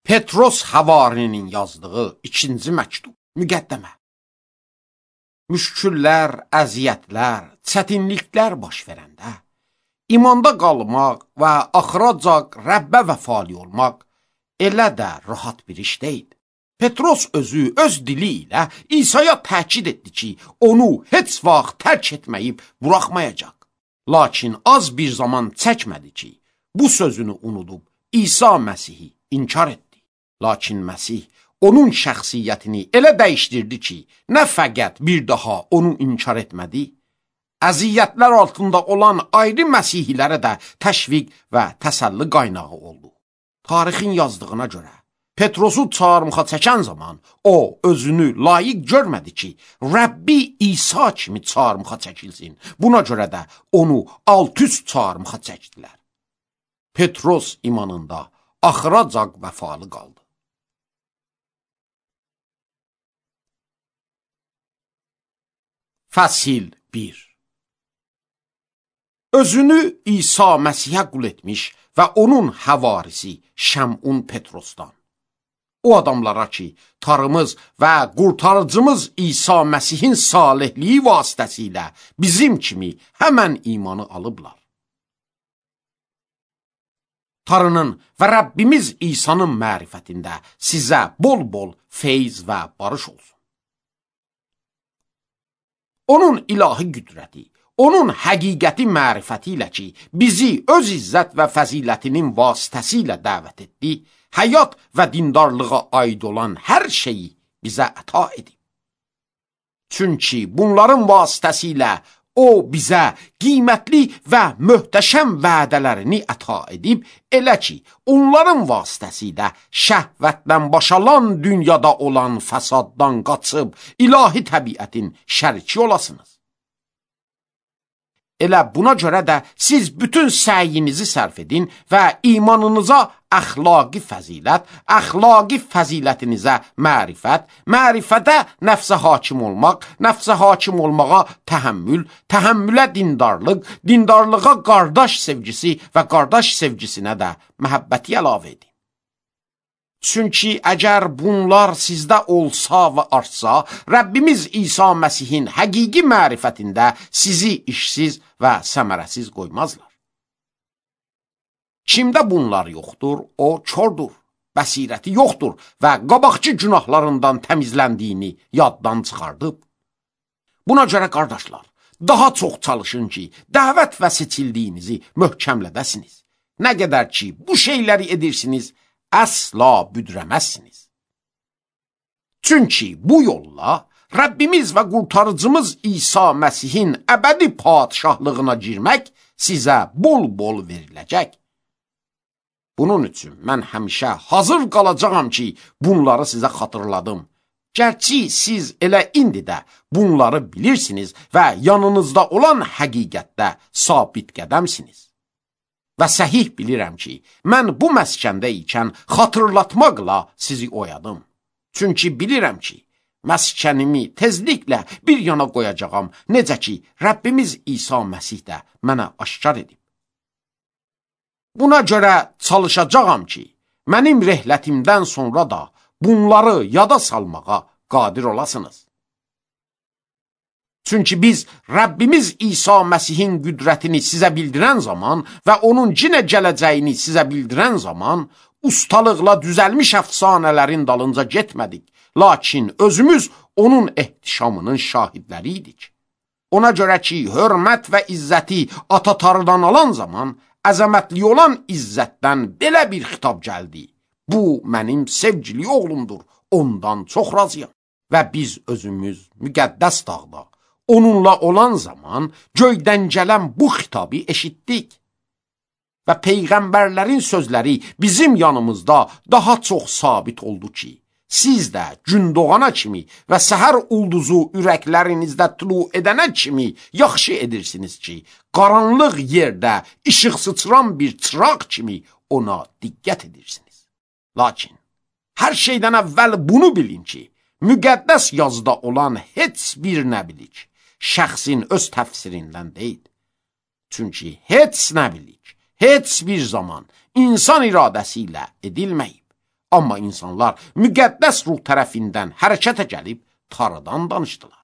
Petros Havarinin yazdığı 2-ci məktub, müqəddəmə. Müşküllər, əziyyətlər, çətinliklər baş verəndə, imanda qalmaq və axıracaq Rəbbə vəfali olmaq elə də rahat bir iş deyil. Petros özü öz dili ilə İsa'ya təkid etdi ki, onu heç vaxt tərk etməyib buraxmayacaq. Lakin az bir zaman çəkmədi ki, bu sözünü unudub İsa Məsihi inkar etdi. Lakin Məsih onun şəxsiyyətini elə dəyişdirdi ki, nə fəqət bir daha onu inkar etmədi, əziyyətlər altında olan ayrı Məsihilərə də təşviq və təsəlli qaynağı oldu. Tarixin yazdığına görə, Petrosu çarmıxa çəkən zaman o özünü layiq görmədi ki, Rəbbi İsa kimi çarmıxa çəkilsin. Buna görə də onu alt-üst çarmıxa çəkdilər. Petros imanında axıracaq vəfalı qaldı. Fəsil 1. Özünü İsa Məsihə qul etmiş və onun həvarisi Şəmun Petrosdan. O adamlara ki, Tanrımız və qurtarıcımız İsa Məsihin salihliyi vasitəsilə bizim kimi həmən imanı alıblar. Tanrının və Rəbbimiz İsa'nın mərifətində sizə bol-bol feyz və barış olsun. Onun ilahi qüdrəti, onun həqiqəti mərifəti ilə ki, bizi öz izzət və fəzilətinin vasitəsilə dəvət etdi, həyat və dindarlığa aid olan hər şeyi bizə əta edib. Çünki bunların vasitəsilə o bizə qiymətli və möhtəşəm vədələrini əta edib, elə ki, onların vasitəsilə şəhvətdən başalan dünyada olan fəsaddan qaçıb, ilahi təbiətin şəriki olasınız. Elə buna görə də siz bütün səyinizi sərf edin və imanınıza əxlaqi fəzilət, əxlaqi fəzilətinizə mərifət, mərifətə nəfsə hakim olmaq, nəfsə hakim olmağa təhəmmül, təhəmmülə dindarlıq, dindarlığa qardaş sevgisi və qardaş sevgisinə də məhəbbəti əlavə edin. Çünki əgər bunlar sizdə olsa və artsa, Rəbbimiz İsa Məsihin həqiqi mərifətində sizi işsiz və səmərəsiz qoymazlar. Kimdə bunlar yoxdur, o kordur, bəsirəti yoxdur və qabaqçı günahlarından təmizləndiyini yaddan çıxardıb. Buna görə qardaşlar, daha çox çalışın ki, dəvət və seçildiyinizi möhkəmlədəsiniz. Nə qədər ki, bu şeyləri edirsiniz, əsla büdrəməzsiniz. Çünki bu yolla Rəbbimiz və qurtarıcımız İsa Məsihin əbədi padişahlığına girmək sizə bol-bol veriləcək. Bunun üçün mən həmişə hazır qalacağam ki, bunları sizə xatırladım. Gərçi siz elə indi də bunları bilirsiniz və yanınızda olan həqiqətdə sabit qədəmsiniz. Və səhih bilirəm ki, mən bu məskəndə ikən xatırlatmaqla sizi oyadım. Çünki bilirəm ki, məskənimi tezliklə bir yana qoyacağam, necə ki, Rəbbimiz İsa Məsih də mənə aşkar edib. Buna görə çalışacağam ki, mənim rehlətimdən sonra da bunları yada salmağa qadir olasınız. Çünki biz Rəbbimiz İsa Məsihin qüdrətini sizə bildirən zaman və onun cinə gələcəyini sizə bildirən zaman ustalıqla düzəlmiş əfsanələrin dalınca getmədik. Lakin özümüz onun ehtişamının şahidləri idik. Ona görə ki, hörmət və izzəti ata-tarıdan alan zaman əzəmətli olan izzətdən belə bir xitab gəldi. Bu mənim sevgili oğlumdur, ondan çox razıyam. Və biz özümüz müqəddəs dağda onunla olan zaman göydən gələn bu xitabı eşitdik. Və peyğəmbərlərin sözləri bizim yanımızda daha çox sabit oldu ki, siz də gün doğana kimi və səhər ulduzu ürəklərinizdə tulu edənə kimi yaxşı edirsiniz ki, qaranlıq yerdə işıq sıçran bir çıraq kimi ona diqqət edirsiniz. Lakin, hər şeydən əvvəl bunu bilin ki, müqəddəs yazıda olan heç bir nəbilik şəxsin öz təfsirindən deyil. Çünki heç nəbilik, heç bir zaman insan iradəsi ilə edilməyib. Amma insanlar müqəddəs ruh tərəfindən hərəkətə gəlib Tanrıdan danışdılar.